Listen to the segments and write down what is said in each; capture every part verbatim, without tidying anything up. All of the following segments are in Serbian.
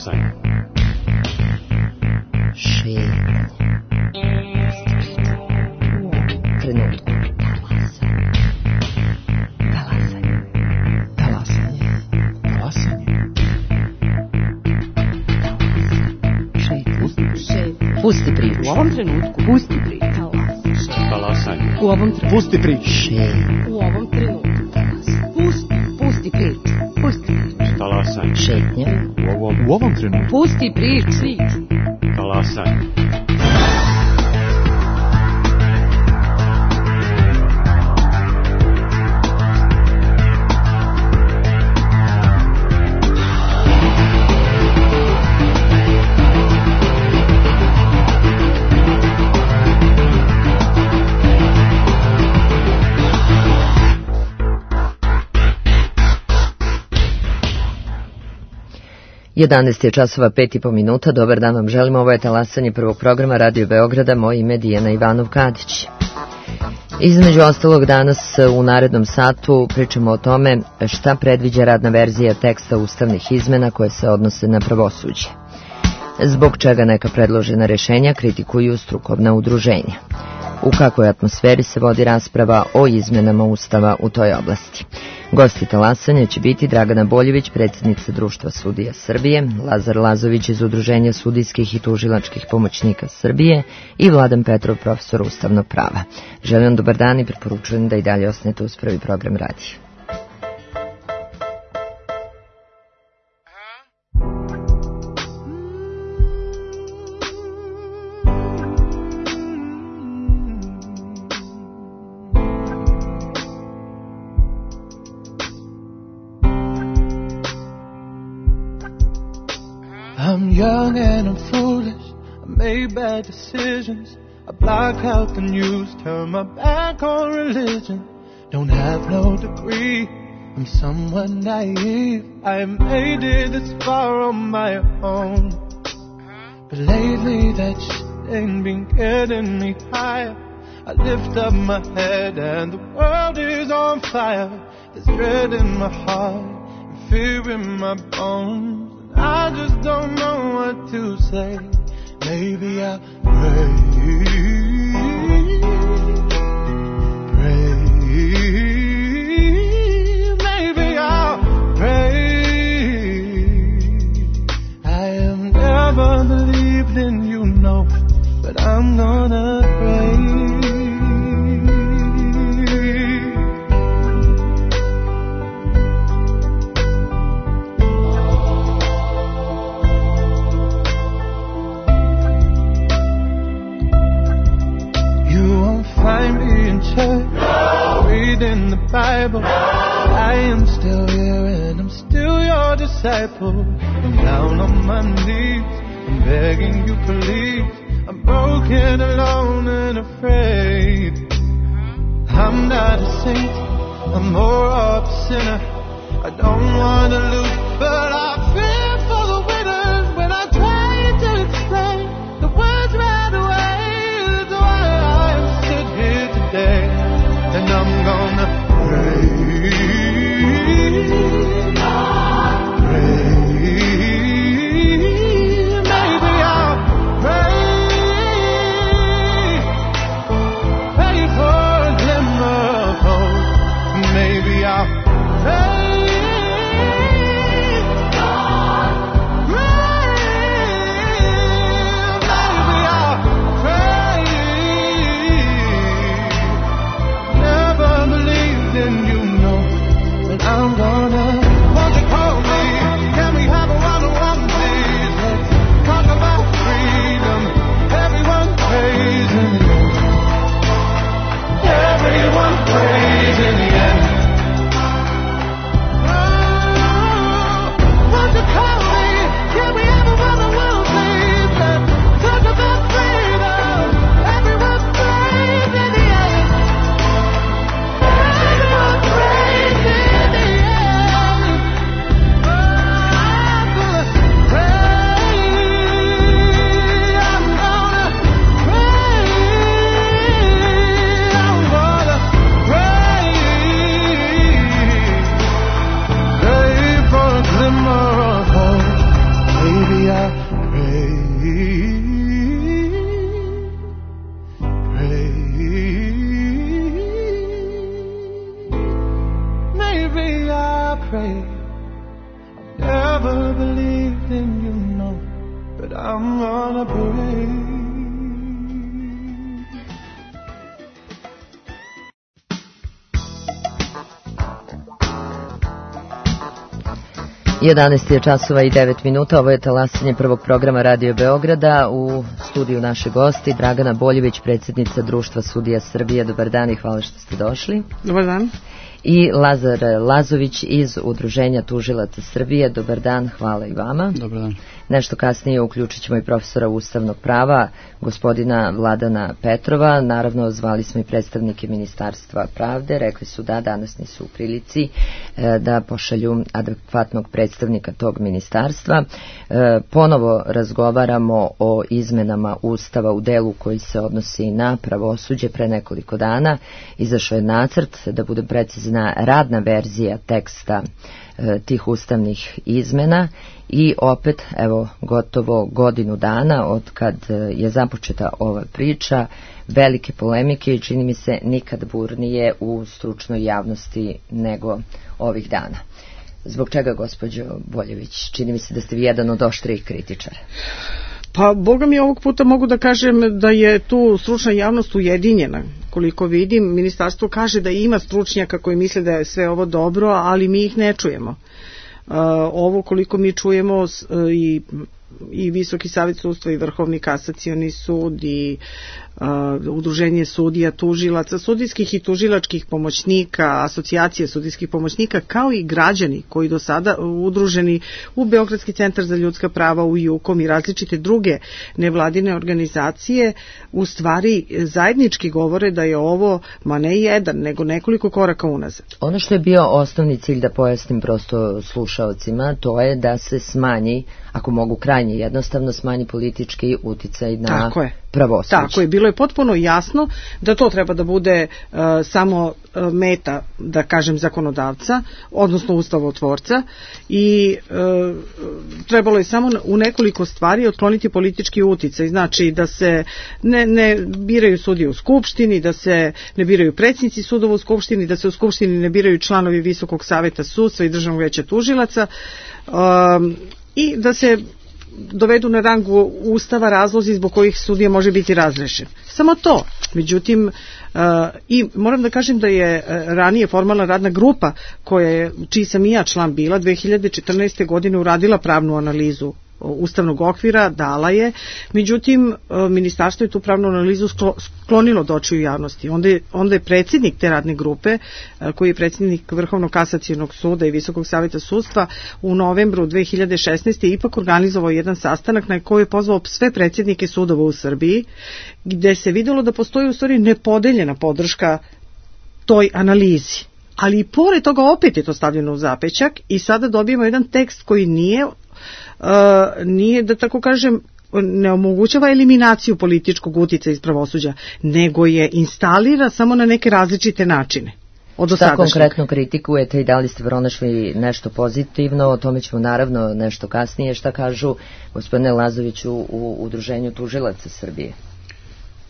Talasanje. Šetnje. Trenutku. Talasanje. Talasanje. Talasanje. Šetnje. Pusti priču. U ovom trenutku. Pusti priču. Talasanje. U ovom trenutku. Pusti priču. Šetnje. U ovom trenutku. Pusti. Pusti priču. Pusti priču. Talasanje. Šetnje. U ovom, u ovom trenutku. Pusti priču. Talasanje. jedanaest je časova pet i po minuta. Dobar dan vam želimo. Ovo je Talasanje prvog programa Radio Beograda. Moje ime je Dijana Ivanov-Kadić. Između ostalog danas u narednom satu pričamo o tome šta predviđa radna verzija teksta ustavnih izmena koje se odnose na pravosuđe. Zbog čega neka predložena rešenja kritikuju strukovna udruženja. U kakvoj atmosferi se vodi rasprava o izmenama Ustava u toj oblasti. Gosti Talasanja će biti Dragana Boljević, predsjednica Društva sudija Srbije, Lazar Lazović iz Udruženja sudijskih i tužilačkih pomoćnika Srbije i Vladan Petrov, profesor ustavnog prava. Želim vam dobar dan i preporučujem da i dalje ostanete uz prvi program radija. I'm young and I'm foolish, I made bad decisions, I block out the news, turn my back on religion, don't have no degree, I'm somewhat naive, I made it this far on my own, but lately that shit ain't been getting me higher, I lift up my head and the world is on fire, there's dread in my heart and fear in my bones. I just don't know what to say. Maybe I'll pray, pray. Maybe I'll pray. I have never believed in you, no, but I'm gonna pray. Find me in church, no. Reading the Bible. No. I am still here and I'm still your disciple. I'm down on my knees, I'm begging you please. I'm broken, alone and afraid. I'm not a saint, I'm more of a sinner. I don't want to lose, but I fear for the winners. When I try to explain, the words right away. And I'm gonna pray, pray, maybe I'll pray, pray for a glimmer of hope, maybe I'll pray, believe I pray. I've never believed in you, no, but I'm gonna pray. jedanaest je časova i devet minuta, ovo je talasanje prvog programa Radio Beograda. U studiju naše gosti Dragana Boljević, predsjednica Društva sudija Srbije. Dobar dan i hvala što ste došli. Dobar dan. I Lazar Lazović iz Udruženja tužilaca Srbije. Dobar dan, hvala i vama. Dobar dan. Nešto kasnije uključit ćemo i profesora ustavnog prava, gospodina Vladana Petrova. Naravno, zvali smo i predstavnike Ministarstva pravde. Rekli su da danas nisu u prilici e, da pošalju adekvatnog predstavnika tog ministarstva. E, ponovo razgovaramo o izmenama Ustava u delu koji se odnosi na pravosuđe. Pre nekoliko dana izašao je nacrt, da budem precizna, radna verzija teksta e, tih ustavnih izmena. I opet, evo, gotovo godinu dana od kad je započeta ova priča, velike polemike i čini mi se nikad burnije u stručnoj javnosti nego ovih dana. Zbog čega, gospođo Boljević? Čini mi se da ste vi jedan od oštrijih kritičara. Pa, boga mi, ovog puta mogu da kažem da je tu stručna javnost ujedinjena. Koliko vidim, ministarstvo kaže da ima stručnjaka koji misle da je sve ovo dobro, ali mi ih ne čujemo. Uh, ovo koliko mi čujemo uh, i, i Visoki savjet sudstva i Vrhovni kasacioni sud i uh, Udruženje sudija, tužilaca, sudijskih i tužilačkih pomoćnika, asocijacije sudijskih pomoćnika, kao i građani koji do sada udruženi u Beogradski centar za ljudska prava, u JUKOM i različite druge nevladine organizacije, u stvari zajednički govore da je ovo, ma ne jedan, nego nekoliko koraka unazad. Ono što je bio osnovni cilj, da pojasnim prosto slušaocima, to je da se smanji, ako mogu krajnje jednostavno, smanji politički uticaj na Tako je. pravosuđe. Tako je, bilo je potpuno jasno da to treba da bude uh, samo uh, meta, da kažem, zakonodavca, odnosno ustavotvorca, i uh, trebalo je samo u nekoliko stvari otkloniti politički uticaj, znači da se ne, ne biraju sudije u Skupštini, da se ne biraju predsjednici sudova u Skupštini, da se u Skupštini ne biraju članovi Visokog saveta sudstva i Državnog veća tužilaca, um, i da se dovedu na rang Ustava razlozi zbog kojih sudija može biti razrešen. Samo to. Međutim, uh, i moram da kažem da je uh, ranije formalna radna grupa, koja je, čiji sam i ja član bila, dve hiljade četrnaeste. godine uradila pravnu analizu ustavnog okvira, dala je, međutim ministarstvo je tu pravnu analizu sklonilo od očiju javnosti. Onda je, onda je predsjednik te radne grupe, koji je predsjednik Vrhovnog kasacionog suda i Visokog saveta sudstva, u novembru dve hiljade šesnaeste. ipak organizovao jedan sastanak na koji je pozvao sve predsjednike sudova u Srbiji, gde se videlo da postoji u stvari nepodeljena podrška toj analizi. Ali i pored toga opet je to stavljeno u zapećak i sada dobijemo jedan tekst koji nije Uh, nije, da tako kažem, ne omogućava eliminaciju političkog uticaja iz pravosuđa, nego je instalira samo na neke različite načine. Šta konkretno kritikujete i da li ste pronašli nešto pozitivno? O tome ćemo naravno nešto kasnije. Šta kažu gospodine Lazoviću u Udruženju tužilaca Srbije?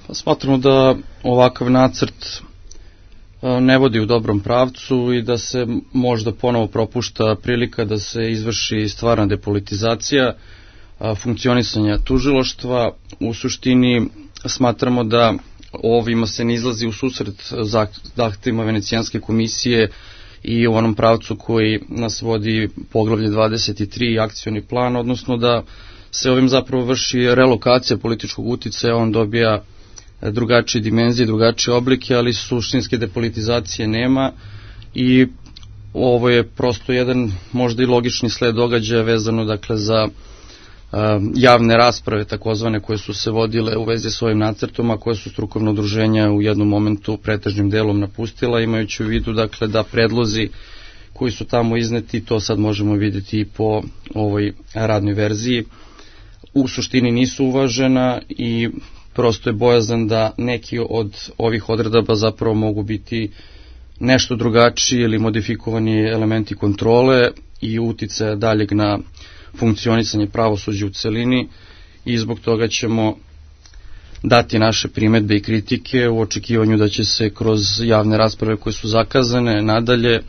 Pa smatramo da ovakav nacrt ne vodi u dobrom pravcu i da se možda ponovo propušta prilika da se izvrši stvarna depolitizacija funkcionisanja tužilaštva. U suštini smatramo da ovima se ne izlazi u susret zahtevima Venecijanske komisije i u onom pravcu koji nas vodi poglavlje dvadeset tri akcioni plan, odnosno da se ovim zapravo vrši relokacija političkog uticaja, on dobija drugačije dimenzije, drugačije oblike, ali suštinske depolitizacije nema i ovo je prosto jedan možda i logični sled događaja vezano dakle za uh, javne rasprave takozvane koje su se vodile u vezi s ovim nacrtom, a koje su strukovno udruženja u jednom momentu pretežnim delom napustila, imajući u vidu dakle da predlozi koji su tamo izneti, to sad možemo vidjeti i po ovoj radnoj verziji, u suštini nisu uvažena i prosto je bojazan da neki od ovih odredaba zapravo mogu biti nešto drugačiji ili modifikovani elementi kontrole i uticaja daljeg na funkcionisanje pravosuđa u celini i zbog toga ćemo dati naše primedbe i kritike u očekivanju da će se kroz javne rasprave koje su zakazane nadalje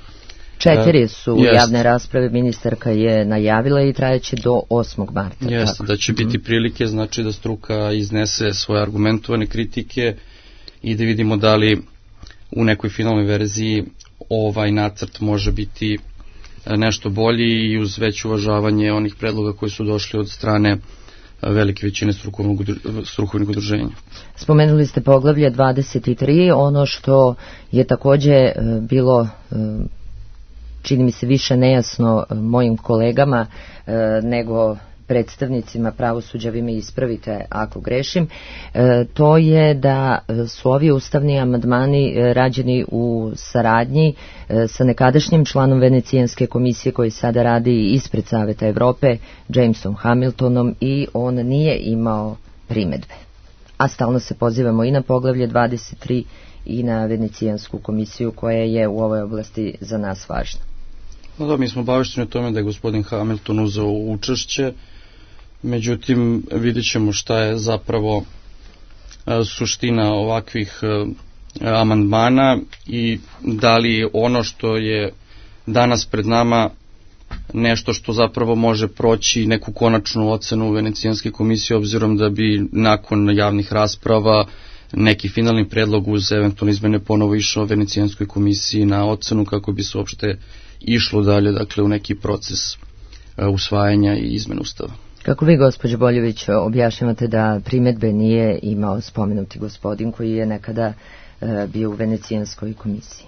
Četiri su Jest. javne rasprave, ministarka je najavila i trajeće do osmog marta. Jeste, da će biti prilike, znači da struka iznese svoje argumentovane kritike i da vidimo da li u nekoj finalnoj verziji ovaj nacrt može biti nešto bolji i uz veće uvažavanje onih predloga koji su došli od strane velike većine strukovnih udruženja. Spomenuli ste poglavlje dvadeset tri, ono što je takođe bilo, čini mi se, više nejasno mojim kolegama nego predstavnicima pravosuđa, vi me ispravite ako grešim, to je da su ovi ustavni amandmani rađeni u saradnji sa nekadašnjim članom Venecijanske komisije koji sada radi ispred Saveta Evrope, Jamesom Hamiltonom, i on nije imao primedbe. A stalno se pozivamo i na poglavlje dvadeset tri i na Venecijansku komisiju koja je u ovoj oblasti za nas važna. No da, mi smo obavešteni o tome da je gospodin Hamilton uzeo učešće, međutim vidjet ćemo šta je zapravo suština ovakvih amandmana i da li ono što je danas pred nama nešto što zapravo može proći neku konačnu ocenu Venecijanske komisije, obzirom da bi nakon javnih rasprava neki finalni predlog uz eventualne izmene ponovo išao Venecijanskoj komisiji na ocenu kako bi se uopšte išlo dalje, dakle, u neki proces usvajanja i izmene ustava. Kako vi, gospođo Boljević, objašnjavate da primedbe nije imao spomenuti gospodin koji je nekada bio u Venecijanskoj komisiji?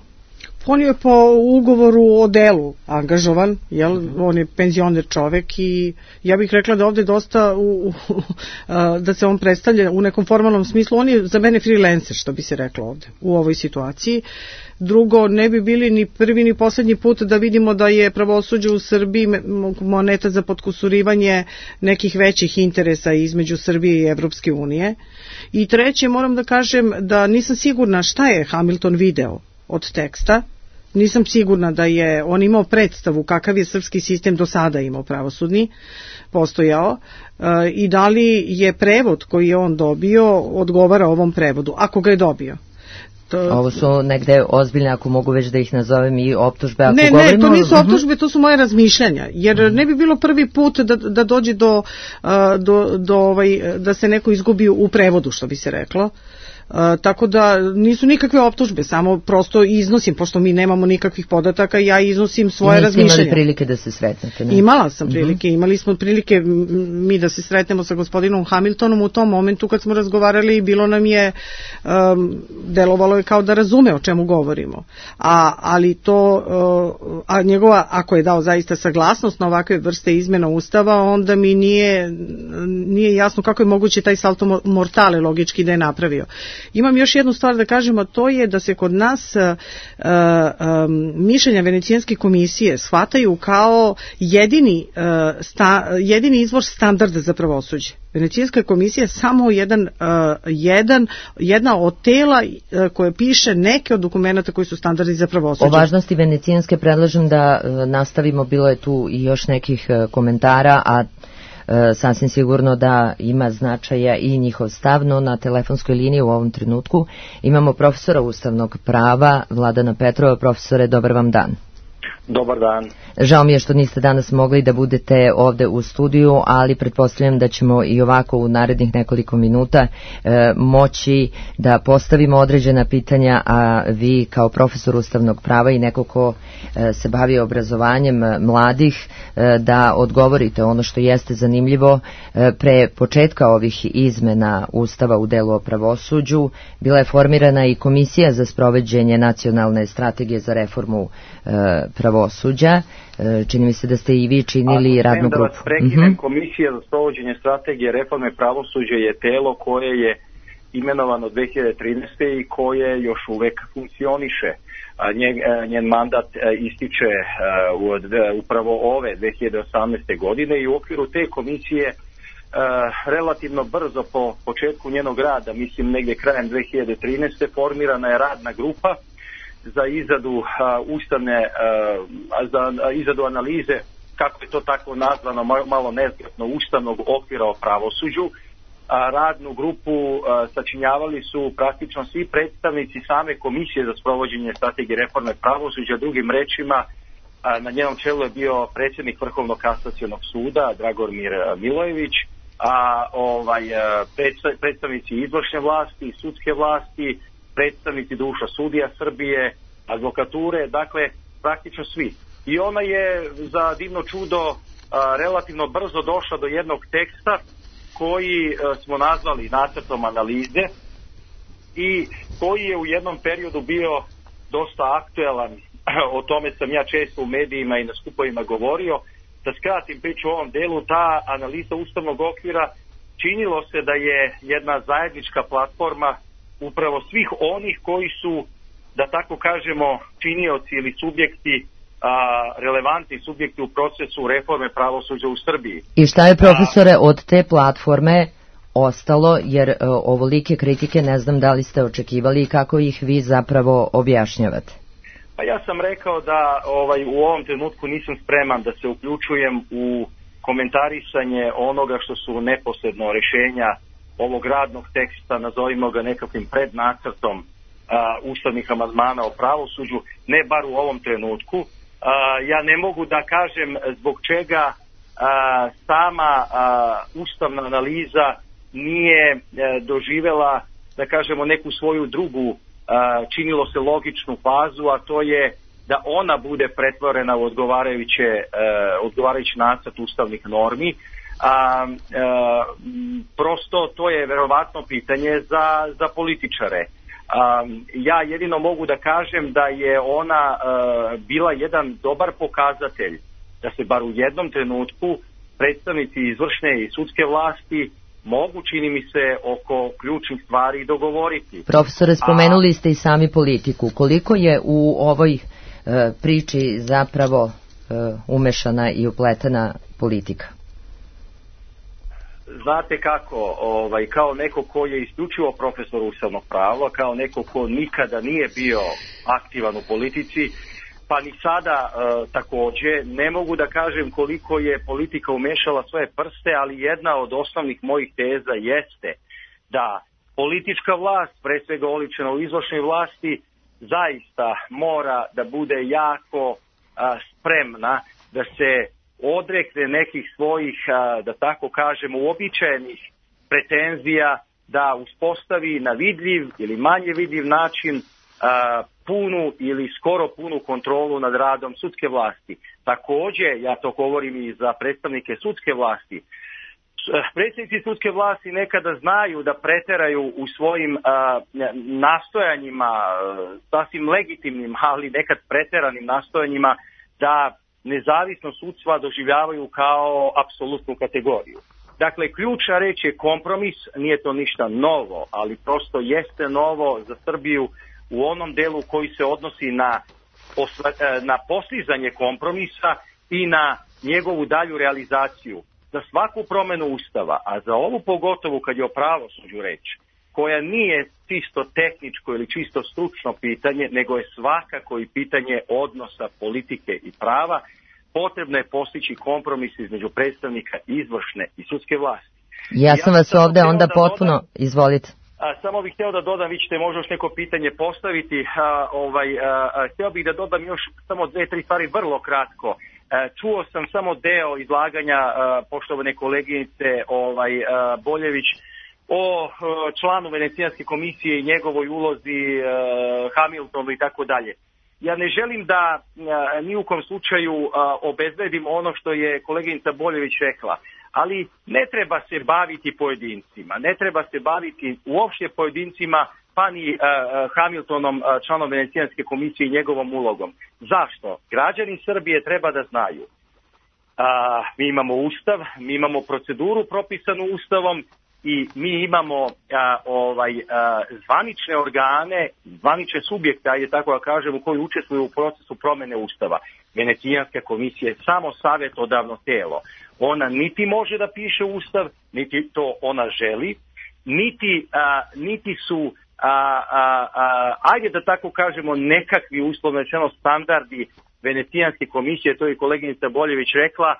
On je po ugovoru o delu angažovan, jel? On je penzioner čovek i ja bih rekla da ovde dosta u, u, da se on predstavlja u nekom formalnom smislu. On je za mene freelancer, što bi se reklo ovde u ovoj situaciji. Drugo, ne bi bili ni prvi ni poslednji put da vidimo da je pravosuđe u Srbiji moneta za potkusurivanje nekih većih interesa između Srbije i Evropske unije. I treće, moram da kažem da nisam sigurna šta je Hamilton video od teksta. Nisam sigurna da je on imao predstavu kakav je srpski sistem do sada imao pravosudni, postojao, i da li je prevod koji je on dobio odgovara ovom prevodu, ako ga je dobio. To... Ovo su negde ozbiljne, ako mogu već da ih nazovem, i optužbe. Ako ne, govorimo... ne, to nisu optužbe, to su moje razmišljanja, jer ne bi bilo prvi put da, da dođe do, do, do ovaj, da se neko izgubi u prevodu, što bi se reklo. Uh, tako da nisu nikakve optužbe, samo prosto iznosim, pošto mi nemamo nikakvih podataka, ja iznosim svoje razmišljanja. Niste imali prilike da se sretnete? Ne? Imala sam prilike, uh-huh. imali smo prilike mi da se sretnemo sa gospodinom Hamiltonom u tom momentu kad smo razgovarali, bilo nam je, um, delovalo je kao da razume o čemu govorimo. A, ali to, uh, a njegova, ako je dao zaista saglasnost na ovakve vrste izmena ustava, onda mi nije, nije jasno kako je moguće taj salto mortale logički da je napravio. Imam još jednu stvar da kažem, a to je da se kod nas uh, um, mišljenja Venecijanske komisije shvataju kao jedini, uh, sta, jedini izvor standarda za pravosuđe. Venecijanska komisija je samo jedan, uh, jedan, jedna od tela uh, koje piše neke od dokumenta koji su standardi za pravosuđe. O važnosti Venecijanske predlažem da uh, nastavimo, bilo je tu i još nekih uh, komentara, a sasvim sigurno da ima značaja i njihov stav, no na telefonskoj liniji u ovom trenutku imamo profesora ustavnog prava Vladana Petrova. Profesore, dobar vam dan. Dobar dan. Žao mi je što niste danas mogli da budete ovde u studiju, ali pretpostavljam da ćemo i ovako u narednih nekoliko minuta e, moći da postavimo određena pitanja, a vi kao profesor ustavnog prava i neko ko e, se bavi obrazovanjem mladih, e, da odgovorite ono što jeste zanimljivo. E, pre početka ovih izmena Ustava u delu o pravosuđu bila je formirana i Komisija za sprovođenje nacionalne strategije za reformu e, pravosuđa. Čini mi se da ste i vi činili radnu grupu. Da vas prekinem, uh-huh. Komisija za sprovođenje strategije reforme pravosuđa je telo koje je imenovano dve hiljade trinaeste. i koje još uvek funkcioniše. Njen, njen mandat ističe od upravo ove dve hiljade osamnaeste. godine i u okviru te komisije relativno brzo po početku njenog rada, mislim negdje krajem dve hiljade trinaeste. formirana je radna grupa za izradu uh, ustavne, uh, za uh, izradu analize, kako je to tako nazvano, malo nezgrapno, ustavnog okvira o pravosuđu. Uh, radnu grupu uh, sačinjavali su praktično svi predstavnici same Komisije za sprovođenje strategije reforme pravosuđa, drugim rečima na njenom čelu je bio predsjednik Vrhovnog kasacionog suda Dragomir Milojević, a ovaj predstavnici izvršne vlasti, sudske vlasti, predstavnici Društva sudija Srbije, advokature, dakle praktično svi. I ona je za divno čudo a, relativno brzo došla do jednog teksta koji a, smo nazvali nacrtom analize i koji je u jednom periodu bio dosta aktuelan. O tome sam ja često u medijima i na skupovima govorio. Da skratim priču u ovom delu, ta analiza ustavnog okvira činilo se da je jedna zajednička platforma upravo svih onih koji su, da tako kažemo, činioci ili subjekti, a, relevantni subjekti u procesu reforme pravosuđa u Srbiji. I šta je, profesore, od te platforme ostalo, jer uh, ovolike kritike ne znam da li ste očekivali i kako ih vi zapravo objašnjavate? Pa ja sam rekao da ovaj, u ovom trenutku nisam spreman da se uključujem u komentarisanje onoga što su neposredno rješenja ovog radnog teksta, nazovimo ga nekakvim prednacrtom a, ustavnih amandmana o pravosuđu, ne bar u ovom trenutku. A, ja ne mogu da kažem zbog čega a, sama a, ustavna analiza nije a, doživela, da kažemo, neku svoju drugu, a, činilo se logičnu fazu, a to je da ona bude pretvorena u odgovarajuće, a, odgovarajući nacrt ustavnih normi. A, a, prosto to je verovatno pitanje za, za političare. A, ja jedino mogu da kažem da je ona a, bila jedan dobar pokazatelj da se bar u jednom trenutku predstavnici izvršne i sudske vlasti mogu, čini mi se, oko ključnih stvari dogovoriti. Profesore, spomenuli ste i sami politiku. Koliko je u ovoj e, priči zapravo e, umešana i upletena politika? Znate kako, ovaj, kao neko ko je isključivo profesor ustavnog prava, kao neko ko nikada nije bio aktivan u politici, pa ni sada e, takođe, ne mogu da kažem koliko je politika umešala svoje prste, ali jedna od osnovnih mojih teza jeste da politička vlast, pre svega oličena u izvršnoj vlasti, zaista mora da bude jako a, spremna da se odrekne nekih svojih, a, da tako kažem, uobičajenih pretenzija, da uspostavi na vidljiv ili manje vidljiv način a, punu ili skoro punu kontrolu nad radom sudske vlasti. Takođe, ja to govorim i za predstavnike sudske vlasti, predsjednici sudske vlasti nekada znaju da preteraju u svojim a, nastojanjima, sasvim legitimnim, ali nekad preteranim nastojanjima, da nezavisnost sudstva doživljavaju kao apsolutnu kategoriju. Dakle, ključna reč je kompromis, nije to ništa novo, ali prosto jeste novo za Srbiju u onom delu koji se odnosi na, na postizanje kompromisa i na njegovu dalju realizaciju. Za svaku promenu Ustava, a za ovu pogotovo kad je o pravosuđu reč, koja nije čisto tehničko ili čisto stručno pitanje, nego je svakako i pitanje odnosa politike i prava, potrebno je postići kompromis između predstavnika izvršne i sudske vlasti. Ja sam ja vas ovde onda da potpuno, dodam, izvolite. A, samo bih hteo da dodam, vi ćete možda još neko pitanje postaviti, a, ovaj, a, a, hteo bih da dodam još samo dve, tri stvari vrlo kratko. A, čuo sam samo deo izlaganja a, poštovane koleginice ovaj, a, Boljević o a, članu Venecijanske komisije i njegovoj ulozi, a, Hamiltonu i tako dalje. Ja ne želim da a, ni u kom slučaju a, obezbedim ono što je koleginica Boljević rekla, ali ne treba se baviti pojedincima, ne treba se baviti uopšte pojedincima, pa ni uh, Hamiltonom, uh, članom Venecijanske komisije i njegovom ulogom. Zašto? Građani Srbije treba da znaju. Uh, mi imamo ustav, mi imamo proceduru propisanu ustavom i mi imamo uh, ovaj, uh, zvanične organe, zvanične subjekte, ajde tako da kažem, u koji učestvuju u procesu promene ustava. Venecijanska komisija je samo savjetodavno telo. Ona niti može da piše ustav, niti to ona želi, niti, a, niti su, a, a, a, ajde da tako kažemo, nekakvi uslovno rečeno standardi Venecijanske komisije, to je koleginica Boljević rekla,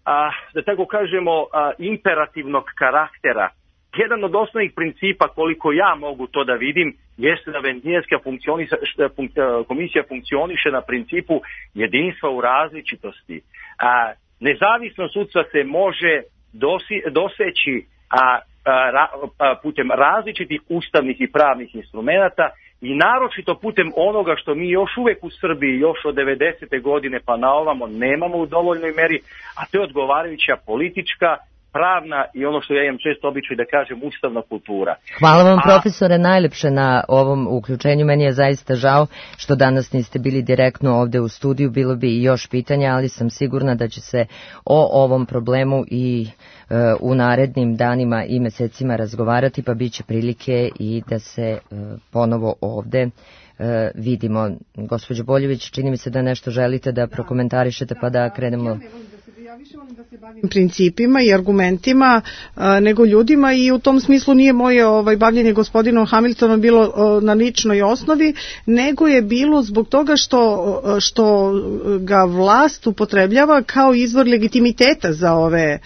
a, da tako kažemo, a, imperativnog karaktera. jedan od osnovnih principa, koliko ja mogu to da vidim, jeste da Venecijanska komisija funkcioniše na principu jedinstva u različitosti. A, nezavisnost sudstva se može dosi, doseći a, a, ra, a, putem različitih ustavnih i pravnih instrumenata i naročito putem onoga što mi još uvek u Srbiji, još od devedesete godine pa na ovamo nemamo u dovoljnoj meri, a to je odgovarajuća politička, pravna i ono što ja imam često običaj da kažem ustavna kultura. Hvala vam, A... profesore, najlepše na ovom uključenju. Meni je zaista žao što danas niste bili direktno ovde u studiju, bilo bi i još pitanja, ali sam sigurna da će se o ovom problemu i e, u narednim danima i mesecima razgovarati, pa bit će prilike i da se e, ponovo ovde e, vidimo. Gospođo Boljević, čini mi se da nešto želite da prokomentarišete, pa da krenemo. Ja više volim da se bavim principima i argumentima a, nego ljudima i u tom smislu nije moje ovaj, bavljenje gospodinom Hamiltonom bilo a, na ličnoj osnovi, nego je bilo zbog toga što, što ga vlast upotrebljava kao izvor legitimiteta za ove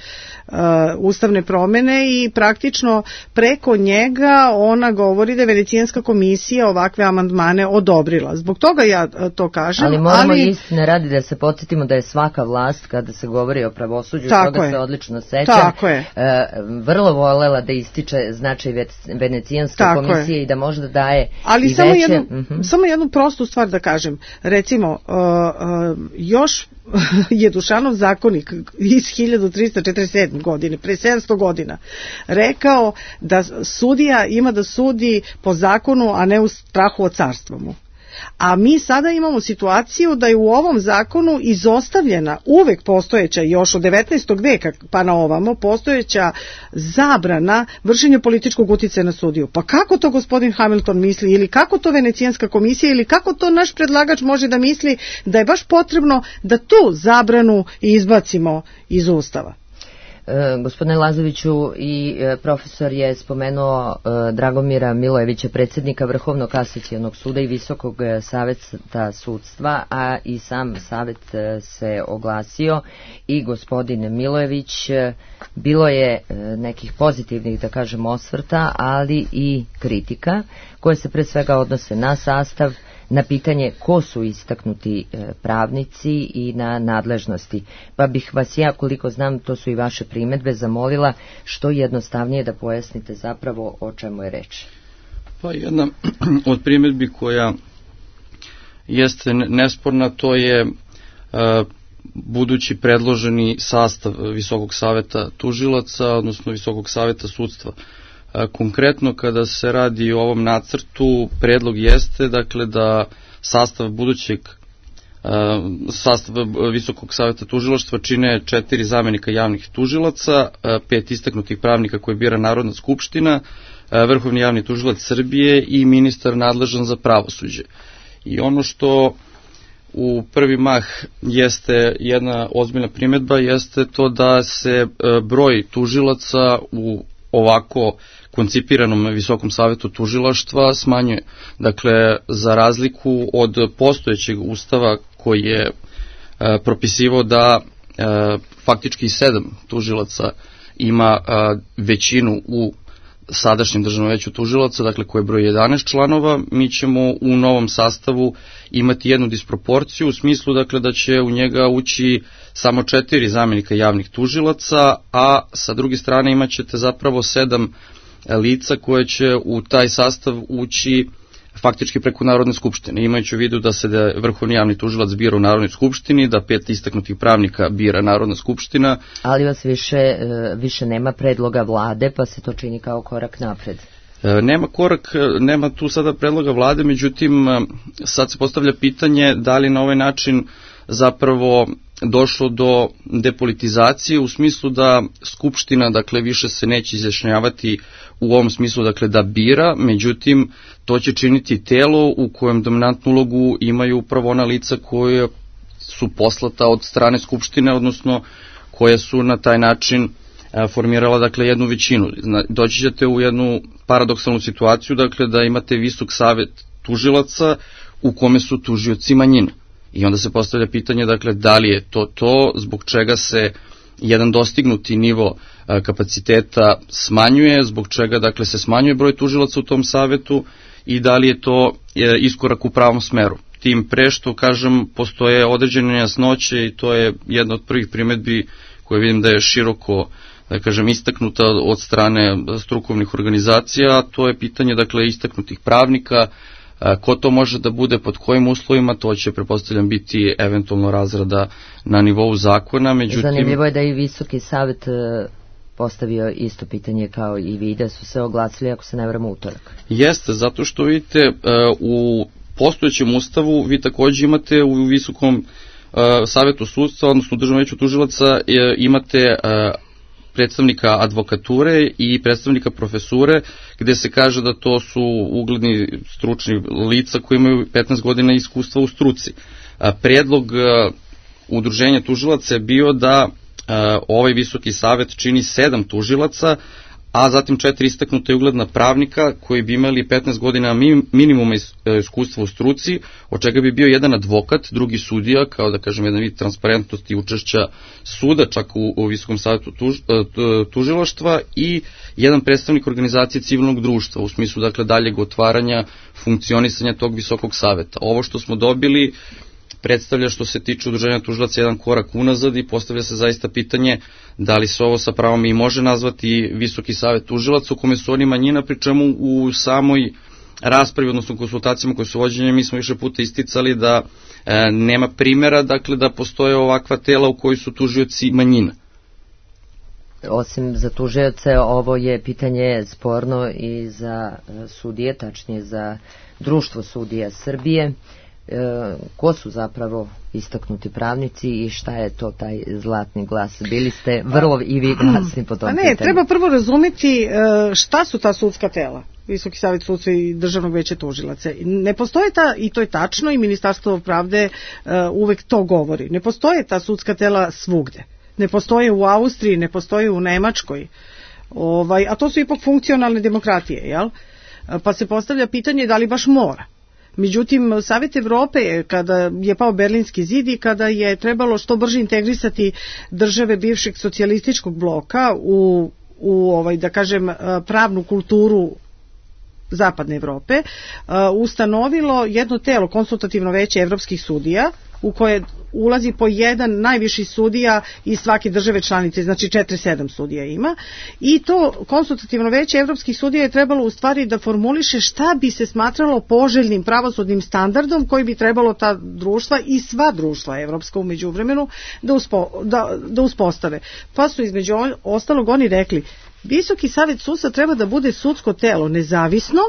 Uh, ustavne promene i praktično preko njega ona govori da je Venecijanska komisija ovakve amandmane odobrila. Zbog toga ja uh, to kažem. Ali moramo ali... istine radi da se podsjetimo da je svaka vlast, kada se govori o pravosuđu, tako toga je. se odlično sećam, tako je. Uh, vrlo volela da ističe značaj Venecijanske tako komisije je. I da možda daje ali i samo veće... Jednu, uh-huh. samo jednu prostu stvar da kažem. Recimo, uh, uh, još je Dušanov zakonik iz hiljadu trista četrdeset sedme godine, pre sedamsto godina, rekao da sudija ima da sudi po zakonu, a ne u strahu od carstva mu. A mi sada imamo situaciju da je u ovom zakonu izostavljena uvek postojeća, još od devetnaestog veka pa na ovamo, postojeća zabrana vršenja političkog uticaja na sudiju. Pa kako to gospodin Hamilton misli, ili kako to Venecijanska komisija, ili kako to naš predlagač može da misli da je baš potrebno da tu zabranu izbacimo iz Ustava? E, gospodine Lazoviću, i e, profesor je spomenuo e, Dragomira Milojevića, predsjednika Vrhovnog kasacionog suda i Visokog saveta sudstva, a i sam savet e, se oglasio i gospodin Milojević. E, bilo je e, nekih pozitivnih, da kažem, osvrta, ali i kritika koje se pre svega odnose na sastav, na pitanje ko su istaknuti pravnici i na nadležnosti. Pa bih vas ja, koliko znam, to su i vaše primedbe, zamolila što jednostavnije da pojasnite zapravo o čemu je reč. Pa jedna od primedbi koja jeste nesporna, to je budući predloženi sastav Visokog saveta tužilaca, odnosno Visokog saveta sudstva. Konkretno kada se radi o ovom nacrtu, predlog jeste dakle da sastav budućeg sastav Visokog saveta tužilaštva čine četiri zamenika javnih tužilaca, pet istaknutih pravnika koje bira Narodna skupština, Vrhovni javni tužilac Srbije i ministar nadležan za pravosuđe. I ono što u prvi mah jeste jedna ozbiljna primedba jeste to da se broj tužilaca u ovako koncipiranom Visokom savetu tužilaštva smanjuje. Dakle, za razliku od postojećeg ustava koji je e, propisivao da e, faktički sedam tužilaca ima e, većinu u sadašnjem državnom veću tužilaca, dakle koje broji jedanaest članova, mi ćemo u novom sastavu imati jednu disproporciju u smislu dakle da će u njega ući samo četiri zamenika javnih tužilaca, a sa druge strane imat ćete zapravo sedam lica koje će u taj sastav ući faktički preko Narodne skupštine, imajući u vidu da se da Vrhovni javni tužilac bira u Narodnoj skupštini, da pet istaknutih pravnika bira Narodna skupština. Ali vas više, više nema predloga vlade, pa se to čini kao korak napred. Nema korak, nema tu sada predloga vlade, međutim sad se postavlja pitanje da li na ovaj način zapravo došlo do depolitizacije u smislu da Skupština dakle više se neće izjašnjavati u ovom smislu dakle da bira, međutim to će činiti telo u kojem dominantnu ulogu imaju upravo ona lica koje su poslata od strane Skupštine, odnosno koje su na taj način formirala dakle jednu većinu. Doći ćete u jednu paradoksalnu situaciju dakle da imate Visok savet tužilaca u kome su tužioci manjina. I onda se postavlja pitanje, dakle, da li je to to, zbog čega se jedan dostignuti nivo kapaciteta smanjuje, zbog čega dakle se smanjuje broj tužilaca u tom savetu i da li je to iskorak u pravom smeru. Tim pre što, kažem, postoje određene nejasnoće i to je jedna od prvih primedbi koje vidim da je široko, da kažem, istaknuta od strane strukovnih organizacija, a to je pitanje, dakle, istaknutih pravnika, ko to može da bude, pod kojim uslovima, to će, pretpostavljam, biti eventualno razrada na nivou zakona. Međutim, zanimljivo je da i Visoki savet postavio isto pitanje kao i vi, da su se oglasili, ako se ne varam, utorak. Jeste, zato što vidite, u postojećem ustavu vi takođe imate u Visokom savetu sudstva, odnosno u Državnom veću tužilaca, imate predstavnika advokature i predstavnika profesure, gde se kaže da to su ugledni stručni lica koji imaju petnaest godina iskustva u struci. Predlog udruženja tužilaca je bio da ovaj Visoki savet čini sedam tužilaca, a zatim četiri istaknuta i ugledna pravnika koji bi imali petnaest godina minimuma iskustva u struci, od čega bi bio jedan advokat, drugi sudija, kao da kažem jedan vid transparentnosti i učešća suda, čak u, u Visokom savetu tuž, tužilaštva, i jedan predstavnik organizacije civilnog društva, u smislu dakle daljeg otvaranja funkcionisanja tog Visokog saveta. Ovo što smo dobili predstavlja, što se tiče udruženja tužilaca, jedan korak unazad i postavlja se zaista pitanje da li se ovo sa pravom i može nazvati Visoki savet tužilaca, u kome su oni manjina, pri čemu u samoj raspravi, odnosno konsultacijama koje su vođenje, mi smo više puta isticali da e, nema primjera, dakle, da postoje ovakva tela u kojoj su tužioci manjina. Osim za tužioce, ovo je pitanje sporno i za sudije, tačnije za Društvo sudija Srbije. E, ko su zapravo istaknuti pravnici i šta je to taj zlatni glas? Bili ste vrlo i vi glasni po tom A ne, pitanju. Treba prvo razumeti šta su ta sudska tela, Visoki savet sudstva i Državnog veća tužilaca. Ne postoje ta, i to je tačno, i Ministarstvo pravde uh, uvek to govori, ne postoje ta sudska tela svugde. Ne postoje u Austriji, ne postoje u Nemačkoj, ovaj, a to su ipak funkcionalne demokratije, jel? Pa se postavlja pitanje da li baš mora. Međutim, Savet Evrope, kada je pao Berlinski zid i kada je trebalo što brže integrisati države bivšeg socijalističkog bloka u, u ovaj, da kažem, pravnu kulturu Zapadne Evrope, ustanovilo jedno telo, konsultativno veće evropskih sudija, u koje ulazi po jedan najviši sudija iz svake države članice, znači četiri sedam sudija ima, i to konsultativno veće evropskih sudija je trebalo u stvari da formuliše šta bi se smatralo poželjnim pravosudnim standardom koji bi trebalo ta društva i sva društva evropska u međuvremenu da, uspo, da, da uspostave. Pa su između ostalog oni rekli, Visoki savet sudstva treba da bude sudsko telo nezavisno,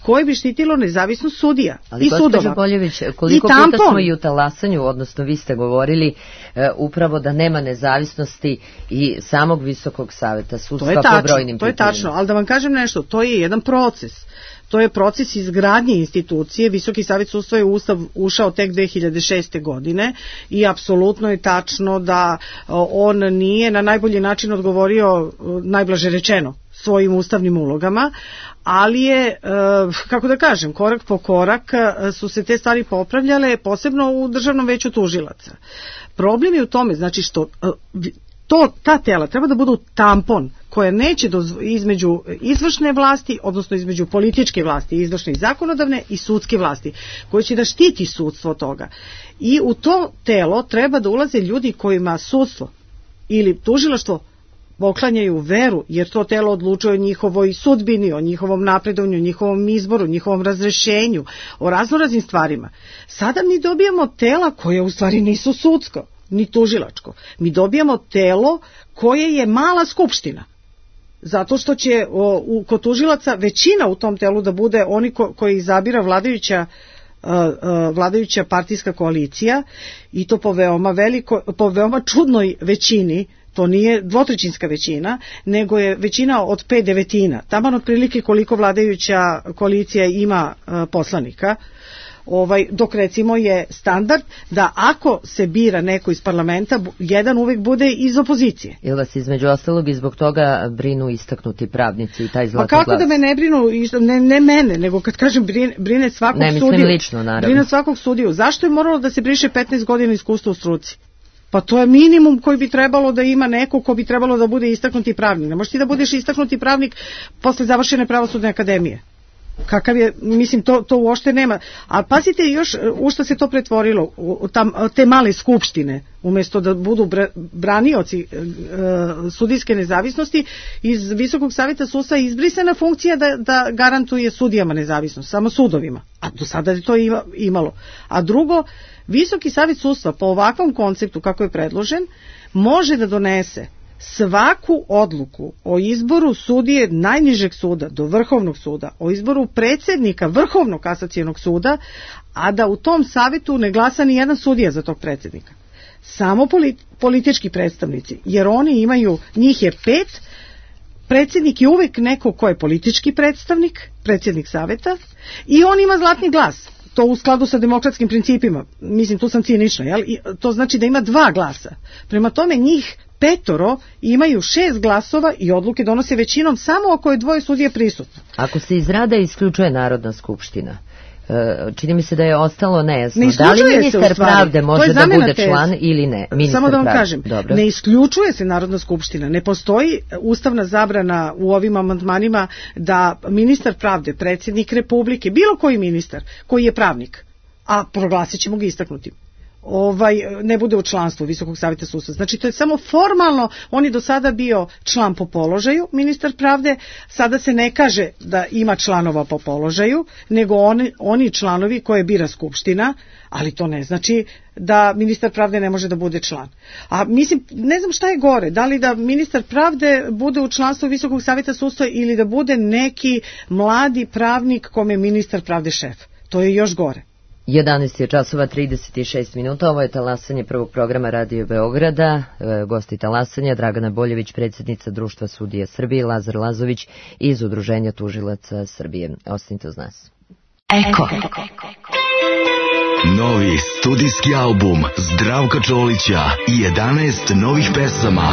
koje bi štitilo nezavisnost sudija ali i sudova. Ali Boljević, koliko puta smo i u talasanju, odnosno vi ste govorili e, upravo da nema nezavisnosti i samog Visokog saveta sudstva po brojnim pitanjima. To je tačno, ali da vam kažem nešto, to je jedan proces. To je proces izgradnje institucije. Visoki savet sudstva je u Ustav ušao tek dve hiljade šeste. godine i apsolutno je tačno da on nije na najbolji način odgovorio, najblaže rečeno, svojim ustavnim ulogama, ali je, kako da kažem, korak po korak su se te stvari popravljale, posebno u Državnom veću tužilaca. Problem je u tome, znači što to, ta tela treba da budu tampon koja neće dozvo, između izvršne vlasti, odnosno između političke vlasti, izvršne i zakonodavne i sudske vlasti, koje će da štiti sudstvo toga. I u to telo treba da ulaze ljudi kojima sudstvo ili tužilaštvo poklanjaju veru, jer to telo odlučuje o njihovoj sudbini, o njihovom napredovanju, o njihovom izboru, o njihovom razrešenju, o raznoraznim stvarima. Sada mi dobijamo tela koje u stvari nisu sudsko, ni tužilačko. Mi dobijamo telo koje je mala skupština. Zato što će o, u, kod tužilaca većina u tom telu da bude oni ko, koji izabira vladajuća uh, uh, vladajuća partijska koalicija, i to po veoma veliko, po veoma čudnoj većini. To nije dvotrećinska većina, nego je većina od pet devetina. Taman otprilike koliko vladajuća koalicija ima uh, poslanika. Ovaj, dok recimo je standard da ako se bira neko iz parlamenta, jedan uvek bude iz opozicije. Ili vas između ostalog i zbog toga brinu istaknuti pravnici i taj zlatni glas? Pa kako glas? da me ne brinu, ne, ne mene, nego kad kažem brine, brine svakog ne, sudiju. Ne, mislim lično, naravno. Brine svakog sudiju. Zašto je moralo da se briše petnaest godina iskustva u struci? Pa to je minimum koji bi trebalo da ima neko ko bi trebalo da bude istaknuti pravnik. Ne možeš ti da budeš istaknuti pravnik posle završene pravosudne akademije. Kakav je, mislim, to, to uopšte nema. A pazite još u što se to pretvorilo, u tam, te male skupštine, umjesto da budu branioci e, sudijske nezavisnosti, iz Visokog savjeta sudstva je izbrisana funkcija da, da garantuje sudijama nezavisnost, samo sudovima. A do sada je to imalo. A drugo, Visoki savjet sudstva po ovakvom konceptu kako je predložen može da donese svaku odluku o izboru sudije najnižeg suda do Vrhovnog suda, o izboru predsjednika Vrhovnog kasacionog suda, a da u tom savjetu ne glasa ni jedan sudija za tog predsjednika. Samo politički predstavnici, jer oni imaju, njih je pet, predsjednik je uvek neko ko je politički predstavnik, predsjednik savjeta, i on ima zlatni glas. To u skladu sa demokratskim principima. Mislim, tu sam cinična, jel? To znači da ima dva glasa. Prema tome njih petoro imaju šest glasova i odluke donose većinom samo ako je dvoje sudije prisutno. Ako se iz rada isključuje Narodna skupština, čini mi se da je ostalo nejasno. Ne da li ministar pravde može da bude tez. član ili ne? Ministar Samo da vam pravde. kažem, Dobro. Ne isključuje se Narodna skupština. Ne postoji ustavna zabrana u ovim amandmanima da ministar pravde, predsjednik Republike, bilo koji ministar koji je pravnik, a proglasit ćemo ga istaknutim, ovaj, ne bude u članstvu Visokog savjeta sudstva. Znači to je samo formalno, on je do sada bio član po položaju, ministar pravde, sada se ne kaže da ima članova po položaju, nego oni, oni članovi koje bira Skupština, ali to ne znači da ministar pravde ne može da bude član. A mislim, ne znam šta je gore, da li da ministar pravde bude u članstvu Visokog savjeta sudstva ili da bude neki mladi pravnik kome je ministar pravde šef. To je još gore. jedanaest je časova trideset šest minuta, ovo je talasanje prvog programa Radio Beograda, e, gosti talasanja Dragana Boljević, predsjednica Društva sudija Srbije, Lazar Lazović iz Udruženja tužilaca Srbije. Ostanite uz nas. Eko. Novi studijski album Zdravka Čolića i jedanaest novih pesama.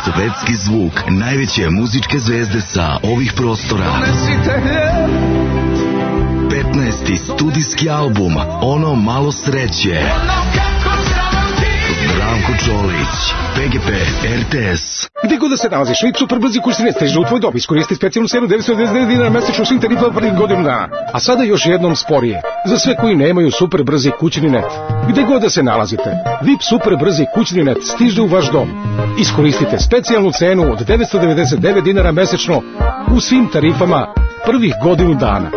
Svetski zvuk najveće muzičke zvezde sa ovih prostora. petnaesti studijski album Ono malo sreće. Zdravko Čolić, P G P, R T S. Gde god da se nalaziš, V I P Superbrzi kursine stižu u tvoj dom. Iskoristi specijalnu cenu devetsto devedeset devet dinara mesečno svim tarifama prvih godinu dana. A sada još jednom sporije. Za sve koji nemaju Superbrzi kućni net. Gde god da se nalazite, V I P Superbrzi kućni net stiže u vaš dom. Iskoristite specijalnu cenu od devetsto devedeset devet dinara mesečno u svim tarifama prvih godinu dana.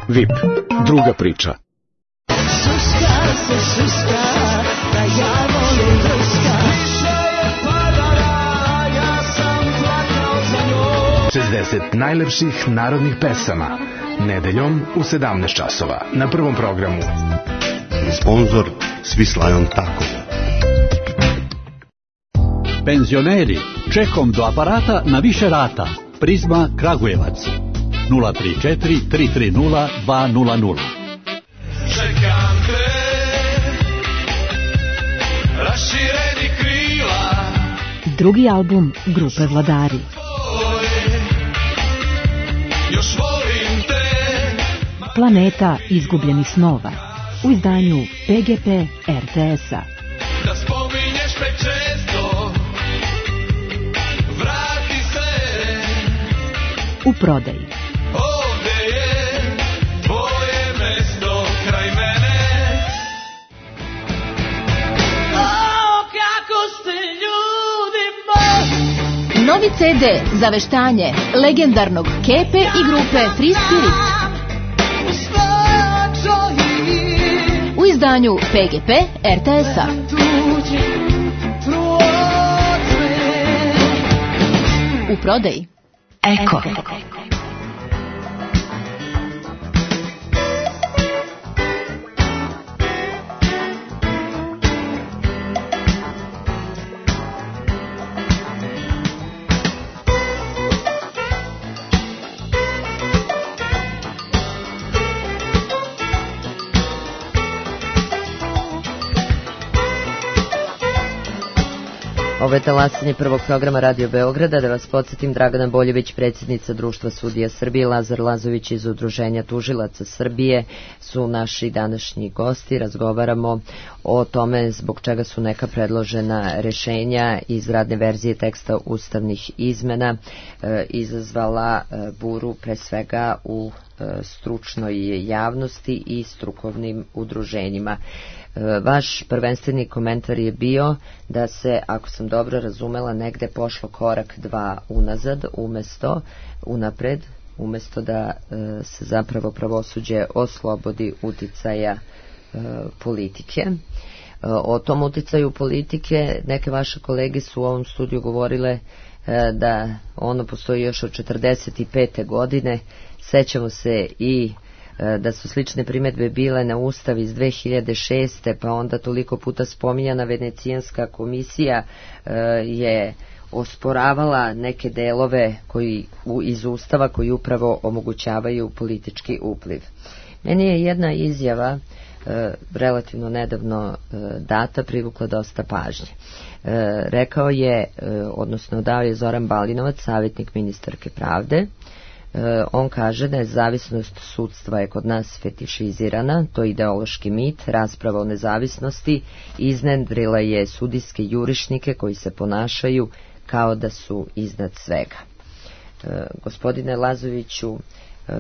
V I P, druga priča. Suska se suska, da ja volim ruska. Više je padala, ja sam plakao za njom. šezdeset najlepših narodnih pesama. Nedeljom u sedamnaest časova na prvom programu. Sponzor Svislajon Tako. Penzioneri, čekom do aparata na više rata. Prizma Kragujevac. nula tri četiri tri tri nula dva nula nula. Čekam te, rašireni krila. Drugi album grupe Vladari. Još volim te. Planeta izgubljenih snova. U izdanju P G P R T S-a. Da spominješ me često, vrati se. U prodaji. Ovdje je tvoje mesto kraj mene. O, kako ste ljudi moji. Novi C D za veštanje legendarnog Kepe i grupe Free Spirit. U izdanju P G P R T S-a. U prodaji. Eko. Ovo je talasanje prvog programa Radio Beograda. Da vas podsjetim, Dragana Boljević, predsjednica Društva sudija Srbije, Lazar Lazović iz Udruženja tužilaca Srbije su naši današnji gosti. Razgovaramo o tome zbog čega su neka predložena rešenja iz radne verzije teksta ustavnih izmena e, izazvala e, buru pre svega u e, stručnoj javnosti i strukovnim udruženjima. Vaš prvenstveni komentar je bio da se, ako sam dobro razumela, negde pošlo korak dva unazad, umesto unapred, umesto da se zapravo pravosuđe oslobodi uticaja politike. O tom uticaju politike neke vaše kolege su u ovom studiju govorile da ono postoji još od četrdeset pete godine. Sećamo se i da su slične primedbe bile na Ustav iz dve hiljade šeste. pa onda toliko puta spominjana Venecijanska komisija je osporavala neke delove koji, iz Ustava koji upravo omogućavaju politički upliv. Meni je jedna izjava relativno nedavno data privukla dosta pažnje. Rekao je, odnosno dao je Zoran Balinovac, savjetnik ministarke pravde. On kaže da je nezavisnost sudstva je kod nas fetišizirana, to je ideološki mit, rasprava o nezavisnosti iznedrila je sudijske jurišnike koji se ponašaju kao da su iznad svega. E, gospodine Lazoviću, e,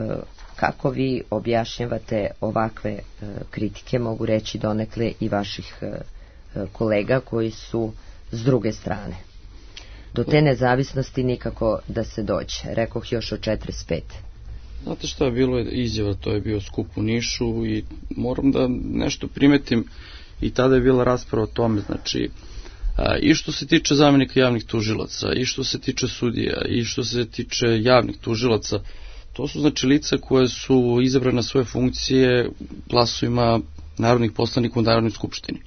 kako vi objašnjavate ovakve e, kritike, mogu reći donekle i vaših e, kolega koji su s druge strane? Do te nezavisnosti nikako da se dođe, rekoh još od četrdeset pete. Znate šta je bilo izjava, to je bio skup u Nišu i moram da nešto primetim i tada je bila rasprava o tome, znači a, i što se tiče zamenika javnih tužilaca, i što se tiče sudija, i što se tiče javnih tužilaca, to su znači lica koje su izabrane na svoje funkcije glasovima narodnih poslanika u Narodnoj skupštini.